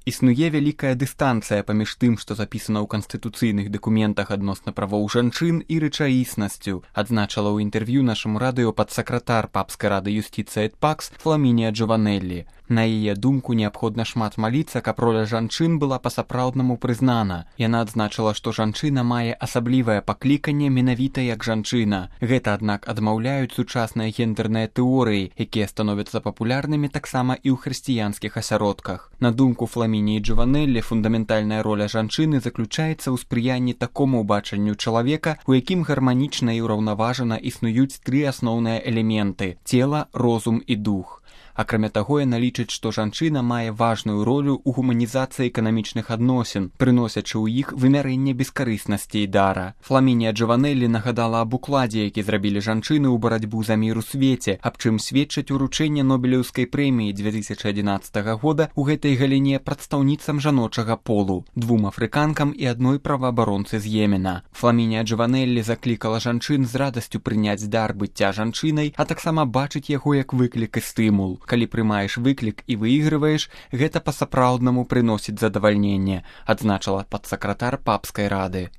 Існуе вялікая дыстанцыя паміж тым, што запісана ў канстытуцыйных дакументах адносна правоў жанчын і рэчаіснасцю, адзначыла ў інтэрв'ю нашаму радыё падсакратар папскай рады юстыцыі эт пакс Фламінія Джованэллі. На яе думку, неабходна шмат маліцца, каб роля жанчын была па-сапраўднаму прызнана. Яна адзначыла, што жанчына мае асаблівае пакліканне менавіта як жанчына. Гэта, аднак, адмаўляюць сучасныя гендерныя тэорыі, якія становяцца папулярнымі таксама і ў хрысціянскіх асяродках. На думку Фламінії Джованэллі, фундаментальная роля жанчыны заключаецца ў спрыянні такому бачанню чалавека, у якім гарманічна і ўраўнаважана існуюць тры асноўныя элементы – цела, розум і дух. Акрамя таго, яна лічыць, што жанчына мае важную ролю ў гуманізацыі эканамічных адносін, прыносячы ў іх вымярэнне бескарыснасці і дара. Фламінія Джованэллі нагадала аб укладзе, які зрабілі жанчыны ў барацьбу за мір у свеце, аб чым сведчаць уручэнне Нобелеўскай прэміі 2011 года ў гэтай галіне прадстаўніцам жаночага полу, 2 афрыканкам і 1 праваабаронцы з Йемена. Фламінія Джованэллі заклікала жанчын з радасцю прыняць дар быцця жанчынай, а таксама бачыць яго як выклік і стымул. Калі прымаеш выклік і выйгрываеш, гэта па-сапраўднаму прыносіць задавальненне, адзначыла падсакратар папскай рады.